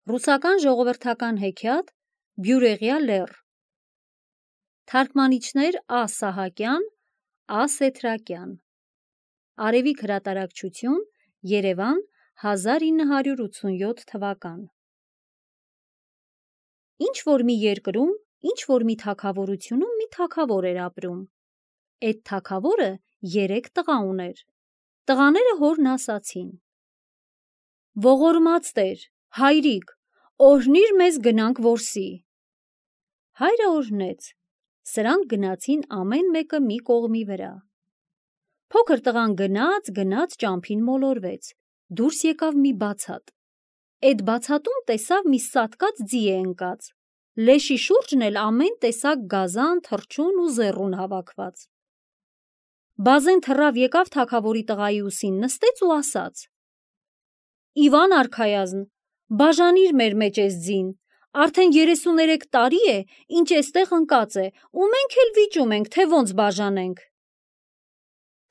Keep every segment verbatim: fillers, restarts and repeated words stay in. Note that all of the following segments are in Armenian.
Ռուսական ժողովրդական հեքիաթ Բյուրեղյա լեռ։ Թարգմանիչներ Ա. Սահակյան, Ա. Սեթրակյան։ Արևիկ հրատարակչություն, Երևան, հազար ինը հարյուր ութսունյոթ թվական։ Ինչ որ մի երկրում, ինչ որ մի թագավորությունում մի թագավոր էր ապրում։ Էդ թագավորը երեք տղա ուներ։ Տղաները հորն ասացին. «Ողորմած Տեր, հայրիկ, օրհնիր մեզ գնանք որսի»։ Հայրը օրհնեց։ Սրանք գնացին ամեն մեկը մի կողմի վրա։ Փոքր տղան գնաց, գնաց ճամփին մոլորվեց, դուրս եկավ մի բացատ։ Էդ բացատում տեսավ մի սատկած ձի է ընկած, լեշի շուրջն էլ ամեն տեսակ գազան, թռչուն ու զեռուն հավաքված։ Բազեն թռավ եկավ թագավորի տղայի ուսին, նստեց ու ասաց. «Իվան արքայազն, բաժանիր մեր մեջ էս ձին, արդեն երեսուներեք տարի է, ինչ էստեղ ընկած է, ու մենք էլ վիճում ենք, թե ոնց բաժանենք»։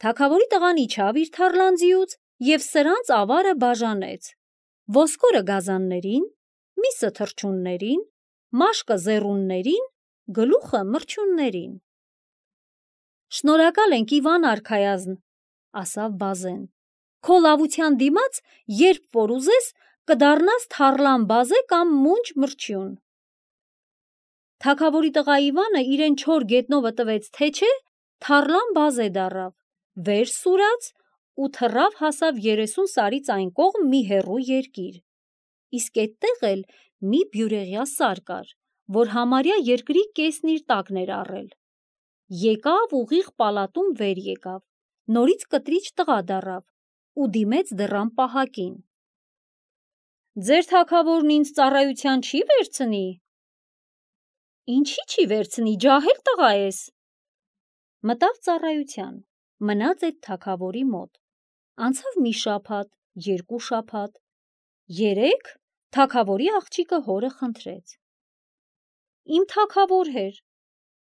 Թագավորի տղան իջավ իր թառլանձիուց և սրանց ավարը բաժանեց, ոսկորը գազաններին, միսը թռչուններին, մաշկը զեռուններին, գլուխը մրջյուններին։ «Շնորհակալ ենք, Իվան արքայազն», ասավ բազեն, «քո լավության դիմաց, երբ որ ուզես, կդառնաս թառլան բազե կամ մունջ մրջյուն»։ Թագավորի տղա Իվանը իրեն չոր գետնովը տվեց, թե չէ, թառլան բազե դառավ, վեր սուրաց ու թռավ հասավ երեսուն սարից այն կողմ մի հեռու երկիր։ Իսկ էդտեղ էլ մի բյուրեղյա սար կար, որ համարյա երկրի կեսն իր տակն էր առել։ Եկավ ուղիղ պալատում վեր եկավ, նորից կտրիճ տղա դառավ ու դիմեց դռան պահակին. «Ձեր թագավորն ինձ ծառայության չի վերցնի»։ «Ինչի՞ չի վերցնի, ջահել տղա ես»։ Մտավ ծառայության, մնաց էդ թագավորի մոտ։ Անցավ մի շաբաթ, երկու շաբաթ, երեք, թագավորի աղջիկը հորը խնդրեց. «Իմ թագավոր հեր,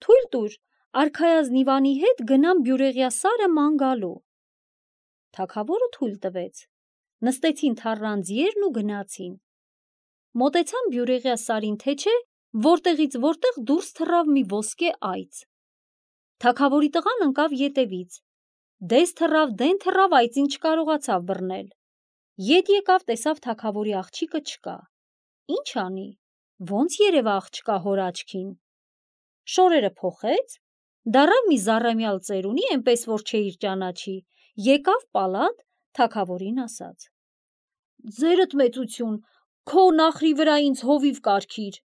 թույլ տուր, արքայազն Իվանի հետ գնամ բյուրեղյա սարը ման գալու»։ Թագավորը թույլ տվեց։ Նստեցին թառլան ձիերն ու գնացին։ Մոտեցան բյուրեղյա սարին, թե չէ, որտեղից որտեղ դուրս թռավ մի ոսկե այծ։ Թագավորի տղան ընկավ ետևից, դես թռավ, դեն թռավ, այծին չկարողացավ բռնել։ Ետ եկավ, տեսավ թագավորի աղջիկը չկա։ Ինչ անի, ոնց երևա աղջկա հոր աչքին։ Շորերը փոխեց, դառավ մի զառամյալ ծերունի, էնպես որ չէիր ճանաչի, եկավ պալատ, թագավորին ասաց. «Ձերդ մեծություն, քո նախրի վրա ինձ հովիվ կարգիր»։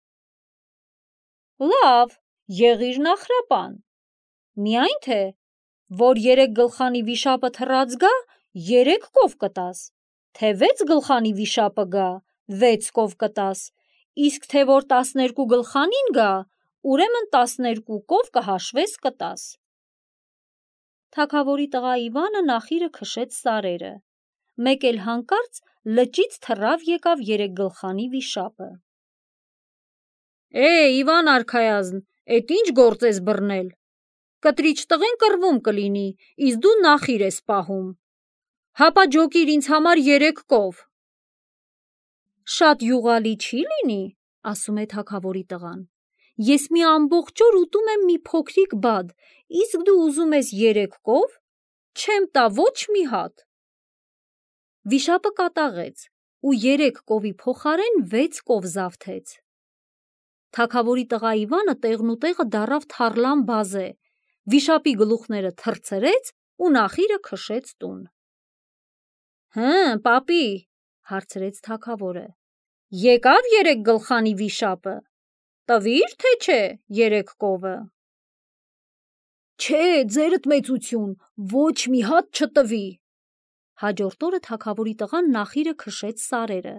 «Լավ, եղիր նախրապան, միայն թե, որ երեք գլխանի վիշապը թռած գա, երեք կով կտաս, թե վեց գլխանի վիշապը գա, վեց կով կտաս, իսկ թե որ տասներկու գլխանին գա, ուրեմն տասներկու կով կհաշվես կտաս»։ Թագավորի տղա Իվանը նախիրը քշեց սարերը, մեկ էլ հանկարծ լճից թռավ եկավ երեքգլխանի վիշապը։ «Է, Իվան արքայազն, էդ ինչ գործ ես բռնել, կտրիճ տղեն կռվում կլինի, իսկ դու նախիր ես պահում, հապա ջոկիր ինձ համար երեք կով»։ «Շատ յուղալի չի լինի, ասում է թագավորի տղան, ես մի ամբողջ օր ուտում եմ մի փոքրիկ բադ, իսկ դու ուզում ես երեք կով, չեմ տա ոչ մի հատ»։ Վիշապը կատաղեց ու երեք կովի փոխարեն վեց կով զավթեց։ Թագավորի տղա Իվանը տեղնուտեղը դառավ թառլան բազե, վիշապի գլուխները թռցրեց ու նախիրը քշեց տուն։ «Հը, պապի», հարցրեց թագավորը, «եկավ երեք գլխանի վիշապը, տվի՞ր, թե չէ երեք կովը»։ «Չէ, ձերդ մեծություն, ոչ մի հատ չտվի»։ Հաջորդ օրը թագավորի տղան նախիրը քշեց սարերը,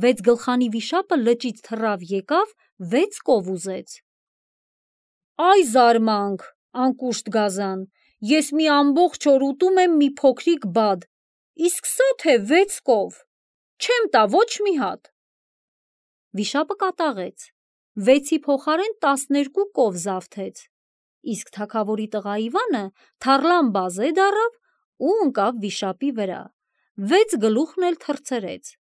վեց գլխանի վիշապը լճից թռավ եկավ, վեց կով ուզեց։ «Այ զարմանք, անկուշտ գազան, ես մի ամբողջ օր ուտում եմ մի փոքրիկ բադ, իսկ սա թե վեց կով, չեմ տա ոչ մի հատ»։ Վիշապը կատաղեց, վեցի փոխարեն տասներկու կով զավթեց, իսկ թագավորի տղա Իվանը թառլան բազե դառավ ու ընկավ վիշապի վրա, վեց գլուխն էլ թռցրեց,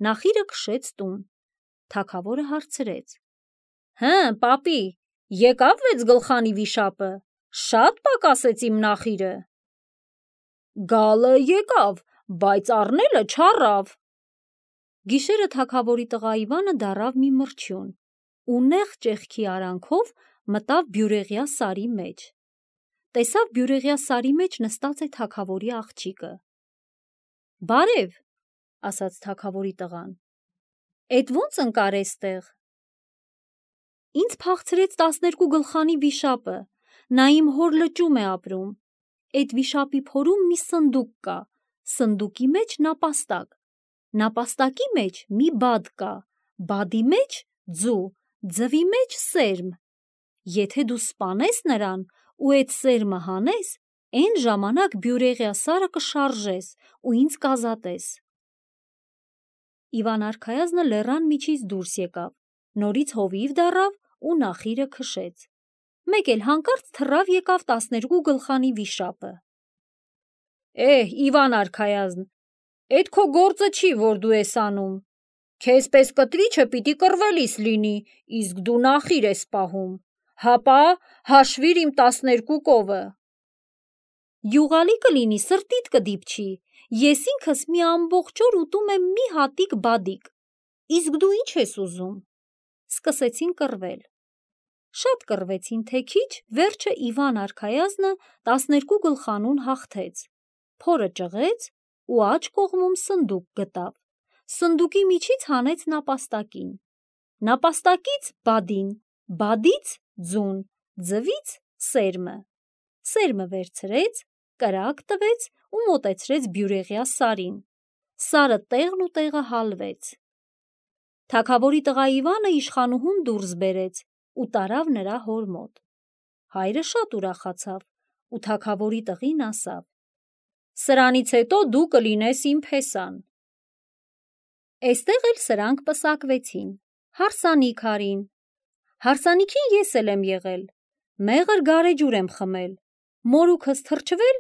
նախիրը քշեց տուն, Թագավորը հարցրեց. Հը, պապի, եկավ վեց գլխանի վիշապը, շատ պակասեց իմ նախիրը։ Գալը եկավ, բայց առնելը չառավ։ Գիշերը թագավորի տղա Իվանը դառավ մի մրջյուն ու նեղ ճեղքի արանքով մտավ բյուրեղյա սարի մեջ։ Տեսավ բյուրեղյա սարի մեջ նստած է թագավորի աղջիկը։ Բարև, ասաց թագավորի տղան, էդ ո՞նց ընկար էստեղ։ Ինձ փախցրեց տասներկու գլխանի վիշապը, նա իմ հոր լճում է ապրում։ Էդ վիշապի փորում մի սնդուկ կա, սնդուկի մեջ նապաստակ, նապաստակի մեջ մի բադ կա, բադի մեջ ձու, ձվի մեջ սերմ։ Եթե դու սպանես նրան ու էդ սերմը հանես, այն ժամանակ բյուրեղյա սարը կշարժես ու ինձ կազատես։ Իվան արքայազնը լեռան միջից դուրս եկավ, նորից հովիվ դառավ ու նախիրը քշեց։ Մեկ էլ հանկարծ թռավ եկավ տասներկու գլխանի վիշապը։ Էհ, Իվան արքայազն, էդ քո գործը չի, որ դու ես անում։ Քեզ պես կտրիչը պիտի կռվելիս լինի, իսկ դու նախիր ես պահում։ Հապա հաշվիր իմ տասներկու կովը։ Յուղալի կլինի, սրտիդ կդիպչի, ես ինքս մի ամբողջ օր ուտում եմ մի հատիկ բադիկ, իսկ դու ինչ ես ուզում։ Սկսեցին կռվել։ Շատ կռվեցին, թե քիչ, վերջը Իվան արքայազնը տասներկու գլխանուն հաղթեց, փորը ճղեց ու աջ կողմում սնդուկ գտավ, սնդուկի միջից հանեց նապաստակին, նապաստակից բադին, բադից ձուն, ձվից սերմը, սերմը վերցրեց, կրակ տվեց ու մոտեցրեց բյուրեղյա սարին, սարը տեղն ու տեղը հալվեց։ Թագավորի տղա Իվանը իշխանուհուն դուրս բերեց ու տարավ նրա հոր մոտ։ Հայրը շատ ուրախացավ ու թագավորի տղին ասավ. Սրանից հետո դու կլինես իմ փեսան։ Էստեղ էլ սրանք պսակվեցին, հարսանիք արին։ Հարսանիքին ես էլ եմ եղել, մեղր գարեջուր եմ խմել, մորուքս թրջվել,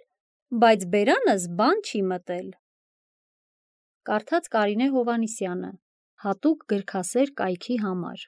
բայց բերանս բան չի մտել։ Կարդաց Կարինե Հովհաննիսյանը, հատուկ գրքասեր կայքի համար։